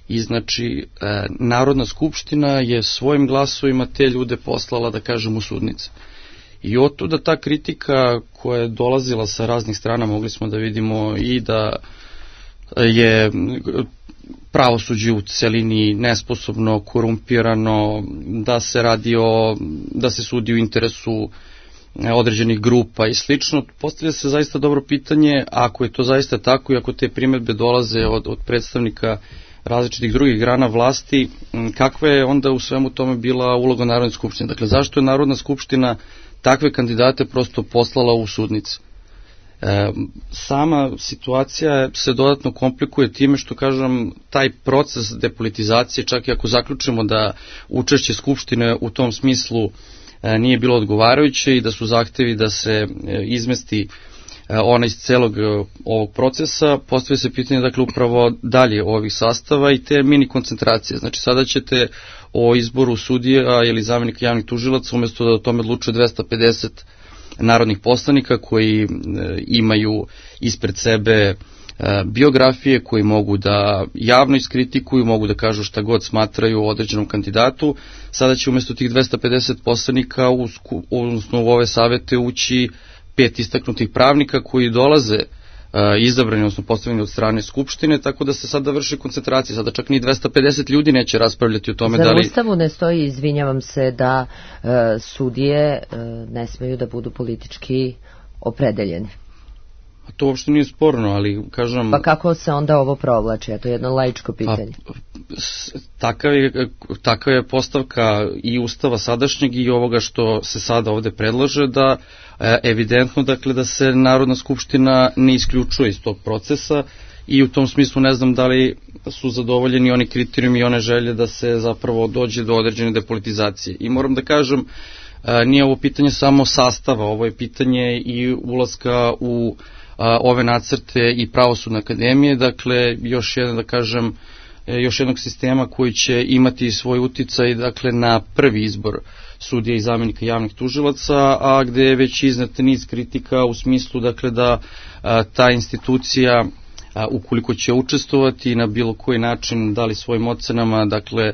I znači, e, Narodna skupština je svojim glasovima te ljude poslala, da kažem, u sudnice. I otuda ta kritika koja je dolazila sa raznih strana, mogli smo da vidimo i da je pravosuđe u celini nesposobno, korumpirano, da se radi o, da se sudi u interesu određenih grupa i slično. Postavlja se zaista dobro pitanje, ako je to zaista tako i ako te primedbe dolaze od, od predstavnika različitih drugih grana vlasti, kakva je onda u svemu tome bila uloga Narodne skupštine? Dakle, zašto je Narodna skupština takve kandidate prosto poslala u sudnice? E, sama situacija se dodatno komplikuje time što, kažem, taj proces depolitizacije, čak i ako zaključimo da učešće skupštine u tom smislu e, nije bilo odgovarajuće i da su zahtevi da se e, izmesti ona iz celog ovog procesa, postavlja se pitanje, dakle, upravo dalje ovih sastava i te mini koncentracije. Znači, sada ćete o izboru sudija ili zamenika javnih tužilaca, umjesto da o tome odlučuje dvesta pedeset narodnih poslanika koji e, imaju ispred sebe e, biografije, koji mogu da javno iskritikuju, mogu da kažu šta god smatraju o određenom kandidatu. Sada će umjesto tih dvesta pedeset poslanika u, odnosno u ove savete ući pet istaknutih pravnika koji dolaze uh, izabrani, odnosno postavljeni od strane Skupštine, tako da se sada vrši koncentracija. Sada čak ni dvesta pedeset ljudi neće raspravljati o tome. Zar da li... Ustavu ne stoji, izvinjavam se, da uh, sudije uh, ne smeju da budu politički opredeljeni? A to uopšte nije sporno, ali kažem... Pa kako se onda ovo provlači? A to je jedno laičko pitanje. Pa, takav je, takav je postavka i Ustava sadašnjeg i ovoga što se sada ovde predlaže, da evidentno, dakle, da se Narodna skupština ne isključuje iz tog procesa i u tom smislu ne znam da li su zadovoljeni oni kriterijumi i one želje da se zapravo dođe do određene depolitizacije. I moram da kažem, nije ovo pitanje samo sastava, ovo je pitanje i ulaska u ove nacrte i Pravosudne akademije, dakle, još jedan, da kažem, još jednog sistema koji će imati svoj uticaj, dakle, na prvi izbor sudija i zamenika javnih tužilaca, a gde je već iznet niz kritika u smislu, dakle, da a, ta institucija, a, ukoliko će učestvovati na bilo koji način, da li svojim ocenama, dakle,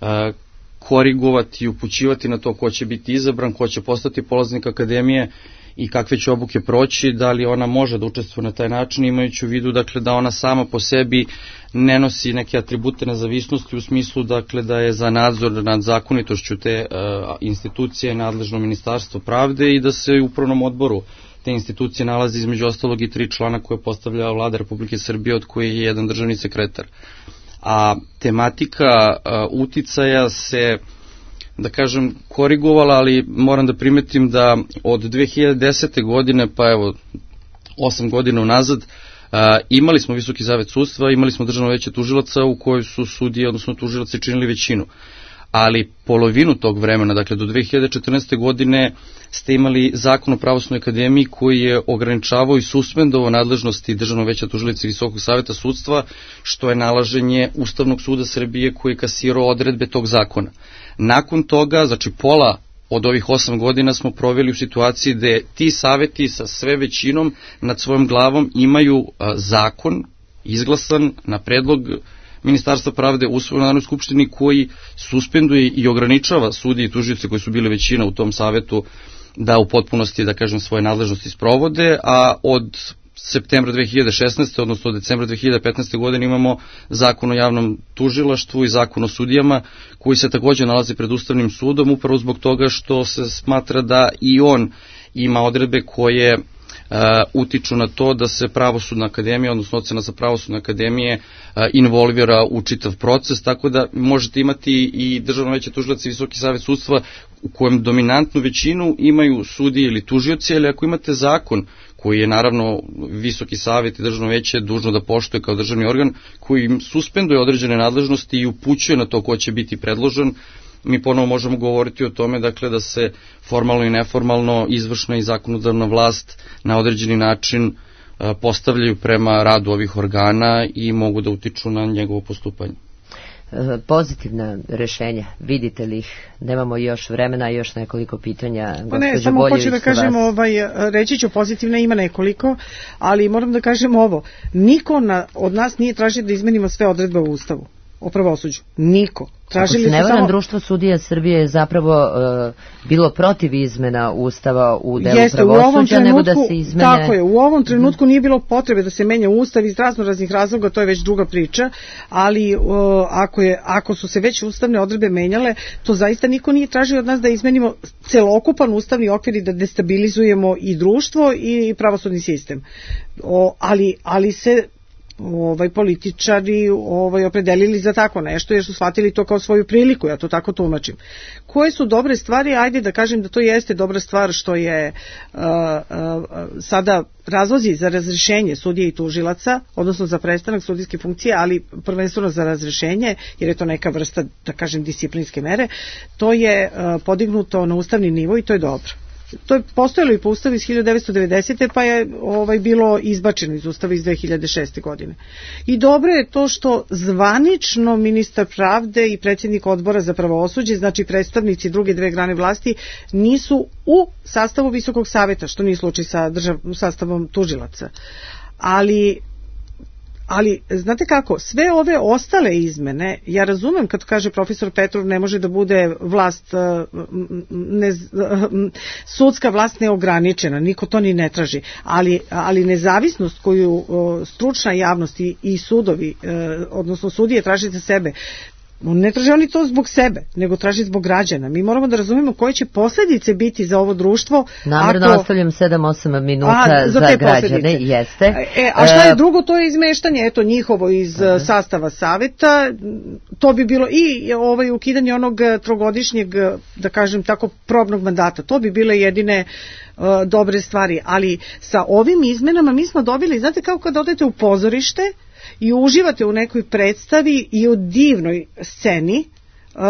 a, korigovati i upućivati na to ko će biti izabran, ko će postati polaznik akademije, i kakve će obuke proći, da li ona može da učestvuje na taj način, imajući u vidu dakle, da ona sama po sebi ne nosi neke atribute nezavisnosti u smislu dakle, da je za nadzor nad zakonitošću te uh, institucije nadležno Ministarstvo pravde i da se u upravnom odboru te institucije nalazi između ostalog i tri člana koje postavlja Vlada Republike Srbije, od koje je jedan državni sekretar. A tematika uh, uticaja se, da kažem, korigovala, ali moram da primetim da od dve hiljade desete. godine, pa evo, osam godina unazad, uh, imali smo Visoki savet sudstva, imali smo Državno veće tužilaca u kojoj su sudije, odnosno tužilaci, činili većinu. Ali polovinu tog vremena, dakle do dve hiljade četrnaeste. godine, ste imali Zakon o Pravosudnoj akademiji koji je ograničavao i suspendovao nadležnosti Državnog veća tužilaca i Visokog saveta sudstva, što je nalaženje Ustavnog suda Srbije koji je kasirao odredbe tog zakona. Nakon toga, znači pola od ovih osam godina smo proveli u situaciji gde ti saveti sa sve većinom nad svojom glavom imaju a, zakon izglasan na predlog Ministarstva pravde u svojoj Narodnoj skupštini koji suspenduje i ograničava sudije i tužioce koji su bile većina u tom savetu da u potpunosti, da kažem, svoje nadležnosti sprovode, a od septembra dve hiljade šesnaeste. odnosno od decembra dve hiljade petnaeste. godine imamo Zakon o javnom tužilaštvu i Zakon o sudijama koji se takođe nalazi pred Ustavnim sudom upravo zbog toga što se smatra da i on ima odredbe koje Uh, utiču na to da se Pravosudna akademija, odnosno ocena sa Pravosudne akademije uh, involvira u čitav proces, tako da možete imati i Državno veće tužilaca i Visoki savet sudstva u kojem dominantnu većinu imaju sudije ili tužioci, ali ako imate zakon koji je naravno Visoki savet i Državno veće dužno da poštuje kao državni organ, koji im suspenduje određene nadležnosti i upućuje na to ko će biti predložen, mi ponovo možemo govoriti o tome dakle, da se formalno i neformalno izvršna i zakonodavna vlast na određeni način postavljaju prema radu ovih organa i mogu da utiču na njegovo postupanje. Pozitivna rešenja, vidite li ih? Nemamo još vremena, još nekoliko pitanja. Pa ne, samo hoću da kažem, ovaj, reći ću pozitivna, ima nekoliko, ali moram da kažem ovo, niko na, od nas nije tražio da izmenimo sve odredbe u Ustavu o pravosuđu. Niko. Tražili Ako se ne varam, samo... Društvo sudija Srbije je zapravo uh, bilo protiv izmena Ustava u delu Jeste, pravosuđa, nego da se izmene... Tako je, u ovom trenutku nije bilo potrebe da se menja Ustav iz razno raznih razloga, to je već druga priča, ali uh, ako, je, ako su se već ustavne odredbe menjale, to zaista niko nije tražio od nas da izmenimo celokupan ustavni okvir i da destabilizujemo i društvo i pravosudni sistem. O, ali, ali se ovaj političari ovaj opredelili za tako nešto jer su shvatili to kao svoju priliku, ja to tako tumačim. Koje su dobre stvari? Ajde da kažem da to jeste dobra stvar što je uh, uh, sada razlozi za razrešenje sudija i tužilaca, odnosno za prestanak sudijske funkcije, ali prvenstveno za razrešenje, jer je to neka vrsta, da kažem, disciplinske mere, to je uh, podignuto na ustavni nivo i to je dobro. To je postojalo i po Ustavu iz hiljadu devetsto devedesete. pa je ovaj bilo izbačeno iz Ustava iz dve hiljade šeste. godine. I dobro je to što zvanično ministar pravde i predsjednik odbora za pravosuđe, znači predstavnici druge dve grane vlasti, nisu u sastavu Visokog saveta, što nije slučaj sa držav, sastavom tužilaca. Ali Ali, znate kako, sve ove ostale izmene, ja razumem kad kaže profesor Petrov ne može da bude vlast, ne, sudska vlast neograničena, niko to ni ne traži, ali, ali nezavisnost koju stručna javnost i, i sudovi, odnosno sudije traže za sebe, ne traže oni to zbog sebe, nego traže zbog građana. Mi moramo da razumemo koje će posljedice biti za ovo društvo. Namerno ako... ostavljam sedam osam minuta a, za, za građane. Jeste. E, a šta je drugo? To je izmeštanje, eto, njihovo iz uh, sastava saveta. To bi bilo i ovaj, ukidanje onog trogodišnjeg, da kažem tako, probnog mandata. To bi bile jedine uh, dobre stvari. Ali sa ovim izmenama mi smo dobili, znate kao kad odete u pozorište i uživate u nekoj predstavi i u divnoj sceni uh,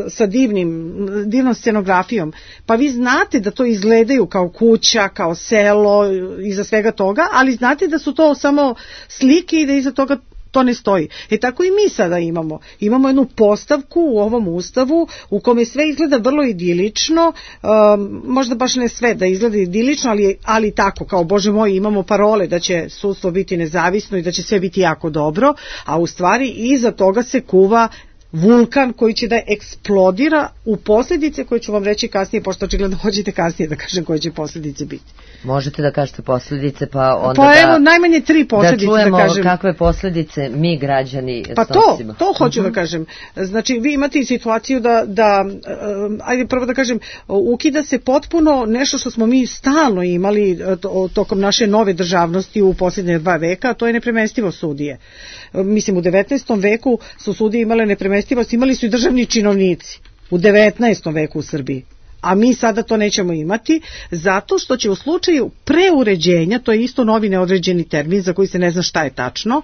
sa divnim, divnom scenografijom, pa vi znate da to izgledaju kao kuća, kao selo, iza svega toga, ali znate da su to samo slike i da iza toga to ne stoji. E tako i mi sada imamo. Imamo jednu postavku u ovom Ustavu u kome sve izgleda vrlo idilično, um, možda baš ne sve da izgleda idilično, ali, ali tako, kao Bože moj, imamo parole da će sudstvo biti nezavisno i da će sve biti jako dobro, a u stvari iza toga se kuva vulkan koji će da eksplodira u posljedice koje ću vam reći kasnije, pošto očigledno hoćete kasnije da kažem koje će posljedice biti. Možete da kažete posljedice, pa onda pa da, evo, najmanje tri posljedice, da čujemo da kažem. Kakve posljedice mi građani pa snosimo. To, to hoću uh-huh. da kažem. Znači, vi imate i situaciju da, da uh, ajde prvo da kažem, ukida se potpuno nešto što smo mi stalno imali to, tokom naše nove državnosti u posljednje dva veka, a to je nepremestivo sudije. Mislim, u devetnaestom veku su sudije imale nepremestivost, imali su i državni činovnici u devetnaestom veku u Srbiji. A mi sada to nećemo imati, zato što će u slučaju preuređenja, to je isto novi neodređeni termin za koji se ne zna šta je tačno,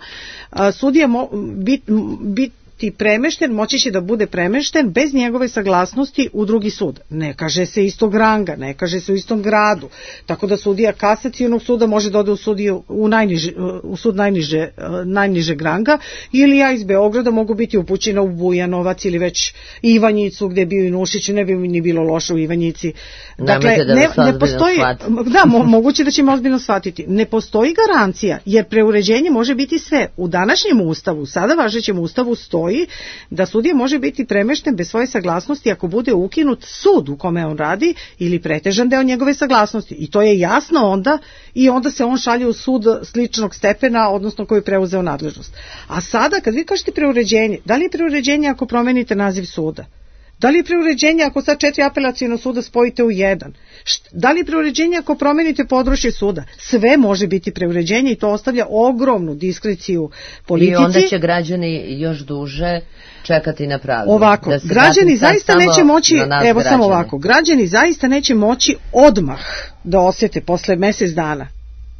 sudija biti bit, premešten, moći će da bude premešten bez njegove saglasnosti u drugi sud. Ne kaže se istog ranga, ne kaže se u istom gradu, tako da sudija kasacionog suda može da ode u, sudiju, u, najniže, u sud najniže, najnižeg ranga, ili ja iz Beograda mogu biti upućena u Bujanovac ili već Ivanjicu gde je bio i Nušić, ne bi mi ni bilo loše u Ivanjici. Dakle, da ne, ne postoji, da, mo, moguće da ćemo ozbiljno shvatiti. Ne postoji garancija, jer preuređenje može biti sve. U današnjem ustavu, sada važećem ustavu stoji da sudija može biti premešten bez svoje saglasnosti ako bude ukinut sud u kome on radi ili pretežan deo njegove saglasnosti. I to je jasno onda, i onda se on šalje u sud sličnog stepena, odnosno koji je preuzeo nadležnost. A sada, kad vi kažete preuređenje, da li je preuređenje ako promenite naziv suda? Da li je preuređenje ako sad četiri apelaciona suda spojite u jedan? Da li je preuređenje ako promenite područje suda? Sve može biti preuređenje i to ostavlja ogromnu diskreciju politici. I onda će građani još duže čekati na pravdu. Ovako, da građani zaista neće moći, evo građani. samo ovako, građani zaista neće moći odmah da osjete posle mjesec dana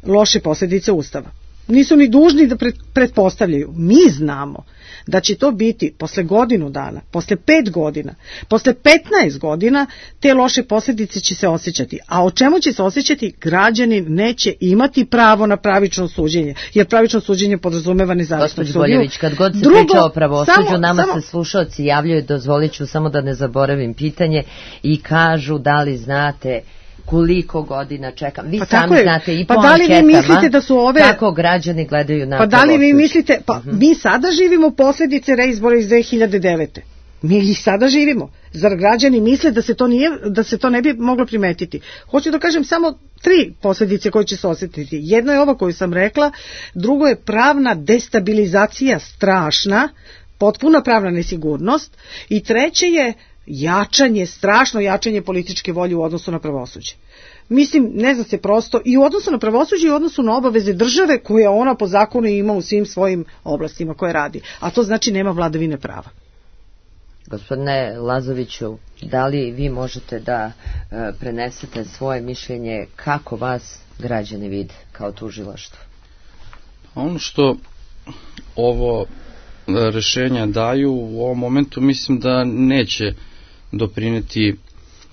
loše posljedice Ustava. Nisu ni dužni da pretpostavljaju. Mi znamo da će to biti posle godinu dana, posle pet godina, posle petnaest godina, te loše posljedice će se osjećati. A o čemu će se osjećati? Građani neće imati pravo na pravično suđenje, jer pravično suđenje podrazumeva nezavisnog sudiju. Boljević, kad god se Drugo, priča o pravosuđu, nama samo, se slušalci javljaju, dozvolit ću samo da ne zaboravim pitanje, i kažu da li znate koliko godina čekam. Vi pa sami znate i pa po da li anketama, vi mislite da su ove, kako građani gledaju na pa da li vi mislite, pa uh-huh. mi sada živimo posljedice reizbora iz dve hiljade devete. Mi ih sada živimo. Zar građani misle da se to nije, da se to ne bi moglo primetiti? Hoću da kažem samo tri posljedice koje će se osjetiti. Jedno je ovo koju sam rekla, drugo je pravna destabilizacija strašna, potpuna pravna nesigurnost, i treće je jačanje, strašno jačanje političke volje u odnosu na pravosuđe. Mislim, ne zna se prosto, i u odnosu na pravosuđe i u odnosu na obaveze države koje ona po zakonu ima u svim svojim oblastima koje radi. A to znači nema vladavine prava. Gospodine Lazoviću, da li vi možete da e, prenesete svoje mišljenje kako vas građani vide kao tužilaštvo? Ono što ovo rešenja daju u ovom momentu, mislim da neće doprineti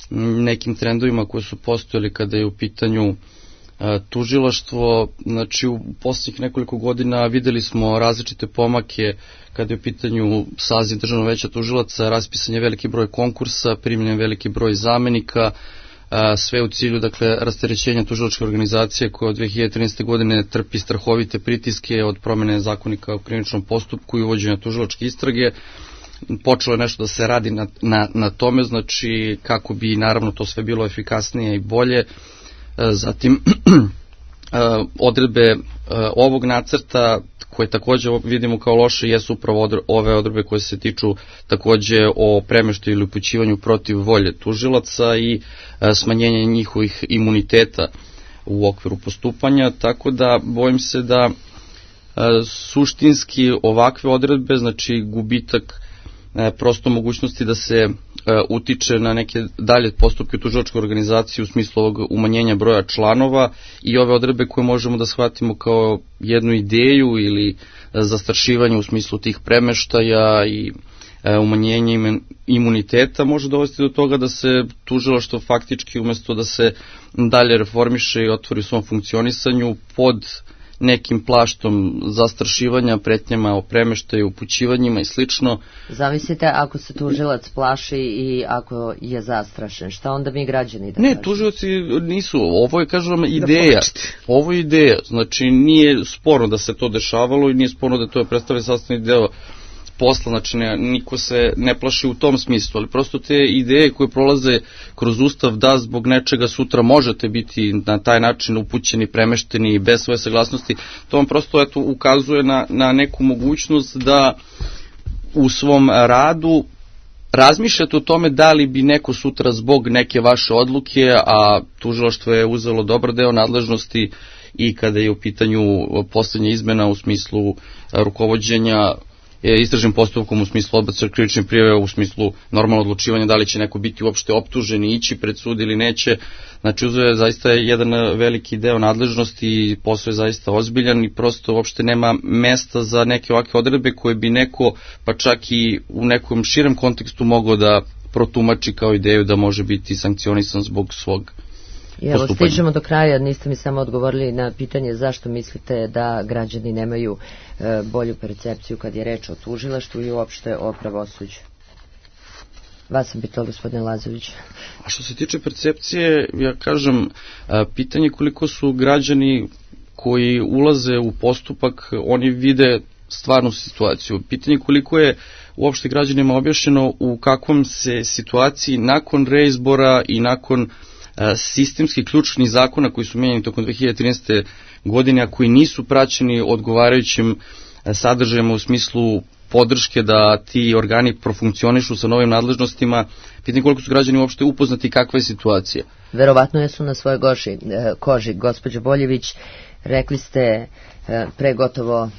nekim trendovima koji su postojali kada je u pitanju tužilaštvo. Znači, u posljednjih nekoliko godina videli smo različite pomake kada je u pitanju saziv Državnog veća tužilaca, raspisan je veliki broj konkursa, primljen veliki broj zamenika, sve u cilju, dakle, rasterećenja tužilačke organizacije koja od dve hiljade trinaeste. godine trpi strahovite pritiske od promene zakonika o krivičnom postupku i uvođenja tužilačke istrage. Počelo je nešto da se radi na, na, na tome, znači kako bi naravno to sve bilo efikasnije i bolje. Zatim odredbe ovog nacrta koje također vidimo kao loše jesu upravo ove odredbe koje se tiču također o premeštaju ili upućivanju protiv volje tužilaca i smanjenje njihovih imuniteta u okviru postupanja, tako da bojim se da suštinski ovakve odredbe, znači gubitak prosto mogućnosti da se utiče na neke dalje postupke u tužilačkoj organizaciji u smislu ovog umanjenja broja članova, i ove odredbe koje možemo da shvatimo kao jednu ideju ili zastrašivanje u smislu tih premeštaja i umanjenje imuniteta može dovesti do toga da se tužilaštvo faktički, umjesto da se dalje reformiše i otvori u svom funkcionisanju, pod nekim plaštom zastrašivanja, pretnjama o premeštaju, upućivanjima i slično. Zamislite ako se tužilac plaši i ako je zastrašen, šta onda mi građani da Ne, kažemo? Tužilaci nisu, ovo je, kažem, ideja. Ovo je ideja, znači nije sporno da se to dešavalo i nije sporno da to je predstavlja sastavni deo posla, znači ne, niko se ne plaši u tom smislu, ali prosto te ideje koje prolaze kroz Ustav da zbog nečega sutra možete biti na taj način upućeni, premešteni bez svoje saglasnosti, to vam prosto eto, ukazuje na, na neku mogućnost da u svom radu razmišljate o tome da li bi neko sutra zbog neke vaše odluke, a tužilaštvo je uzelo dobar deo nadležnosti i kada je u pitanju poslednja izmena u smislu rukovođenja istražnim postupkom, u smislu odbačaja krivične prijave, u smislu normalno odlučivanja da li će neko biti uopšte optužen i ići pred sud ili neće. Znači uzeo je zaista jedan veliki deo nadležnosti i posao je zaista ozbiljan i prosto uopšte nema mesta za neke ovakve odredbe koje bi neko, pa čak i u nekom širem kontekstu mogao da protumači kao ideju da može biti sankcionisan zbog svog I evo, stižemo do kraja, niste mi samo odgovorili na pitanje zašto mislite da građani nemaju e, bolju percepciju kad je reč o tužilaštvu i uopšte o pravosuđu. Vas sam pitao, gospodine Lazović. A što se tiče percepcije, ja kažem, pitanje koliko su građani koji ulaze u postupak, oni vide stvarnu situaciju. Pitanje koliko je uopšte građanima objašnjeno u kakvom se situaciji nakon reizbora i nakon sistemskih ključnih zakona koji su mijenjeni tokom dve hiljade trinaeste. godine, a koji nisu praćeni odgovarajućim sadržajima u smislu podrške da ti organi profunkcionišu sa novim nadležnostima, pitanje koliko su građani uopšte upoznati kakva je situacija. Verovatno jesu na svojoj goši, koži. Gospođo Boljević, rekli ste pre gotovo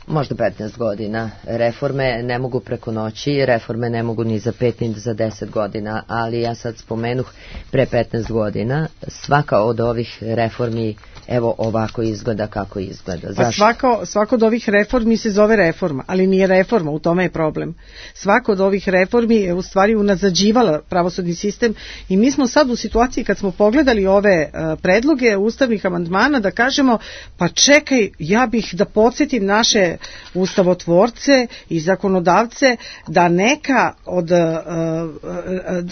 možda petnaest godina. Reforme ne mogu preko noći, reforme ne mogu ni za pet ni za deset godina, ali ja sad spomenuh pre petnaest godina, svaka od ovih reformi evo ovako izgleda kako izgleda. Zašto? Pa svako, svako od ovih reformi se zove reforma, ali nije reforma, u tome je problem. Svako od ovih reformi je u stvari unazađivala pravosudni sistem i mi smo sad u situaciji kad smo pogledali ove uh, predloge ustavnih amandmana da kažemo pa čekaj, ja bih da podsjetim naše ustavotvorce i zakonodavce da neka od uh,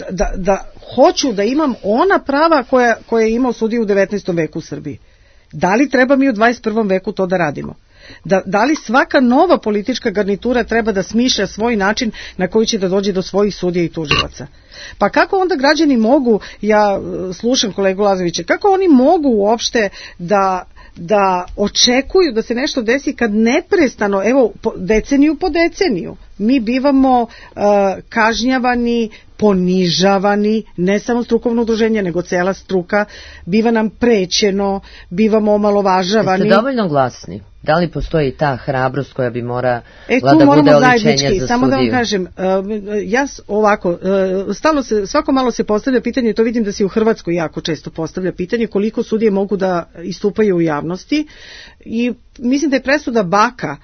da, da hoću da imam ona prava koja, koja je imao sudija u devetnaestom veku u Srbiji. Da li treba mi u dvadeset prvom veku to da radimo? Da, da li svaka nova politička garnitura treba da smišlja svoj način na koji će da dođe do svojih sudija i tužilaca? Pa kako onda građani mogu, ja slušam kolegu Lazovića, kako oni mogu uopšte da da očekuju da se nešto desi kad neprestano, evo, deceniju po deceniju, mi bivamo uh, kažnjavani, ponižavani, ne samo strukovno udruženje, nego cela struka, biva nam prećeno, bivamo omalovažavani. Jeste dovoljno glasni? Da li postoji ta hrabrost koja bi morala e, da bude oličenje za samo sudiju? Da vam kažem, uh, ja ovako, uh, stalno se, svako malo se postavlja pitanje, to vidim da se u Hrvatskoj jako često postavlja pitanje koliko sudije mogu da istupaju u javnosti i mislim da je presuda Baka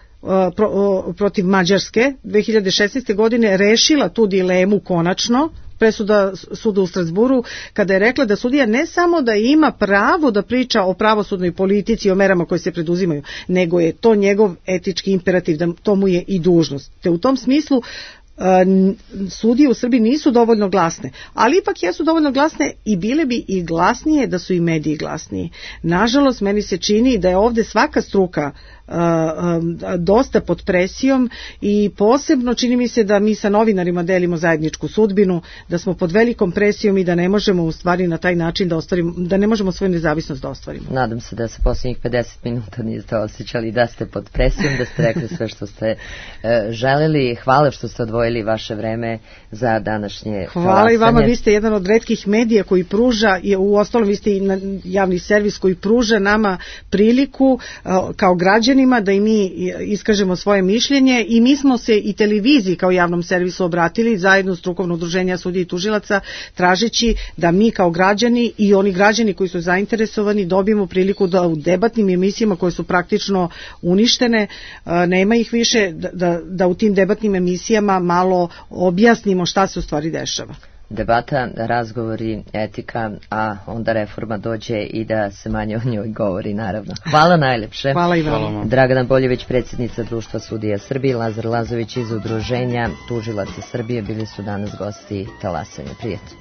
Pro, protiv Mađarske dve hiljade šesnaeste. godine rešila tu dilemu konačno, presuda suda u Strasburu, kada je rekla da sudija ne samo da ima pravo da priča o pravosudnoj politici i o merama koje se preduzimaju, nego je to njegov etički imperativ, da to mu je i dužnost. Te u tom smislu sudije u Srbiji nisu dovoljno glasne, ali ipak jesu dovoljno glasne i bile bi i glasnije da su i mediji glasniji. Nažalost, meni se čini da je ovde svaka struka uh, uh, dosta pod presijom i posebno čini mi se da mi sa novinarima delimo zajedničku sudbinu, da smo pod velikom presijom i da ne možemo u stvari na taj način da ostvarimo, da ne možemo svoju nezavisnost da ostvarimo. Nadam se da se posljednjih pedeset minuta niste osjećali da ste pod presijom, da ste rekli sve što ste uh, želeli. Hvala što ste odvojili vaše vreme za današnje Hvala talasanje. I vama, vi ste jedan od retkih medija koji pruža, u ostalom vi ste i javni servis koji pruža nama priliku kao građanima da i mi iskažemo svoje mišljenje i mi smo se i televiziji kao javnom servisu obratili zajedno strukovno udruženja sudija i tužilaca tražeći da mi kao građani i oni građani koji su zainteresovani dobijemo priliku da u debatnim emisijama koje su praktično uništene, nema ih više, da, da u tim debatnim emisijama malo objasnimo šta se u stvari dešava. Debata, razgovori, etika, a onda reforma dođe i da se manje o njoj govori, naravno. Hvala najlepše. Hvala i vama. Dragana Boljević, predsjednica Društva sudija Srbije, Lazar Lazović iz Udruženja tužilaca Srbije bili su danas gosti talasanja. Prijatno.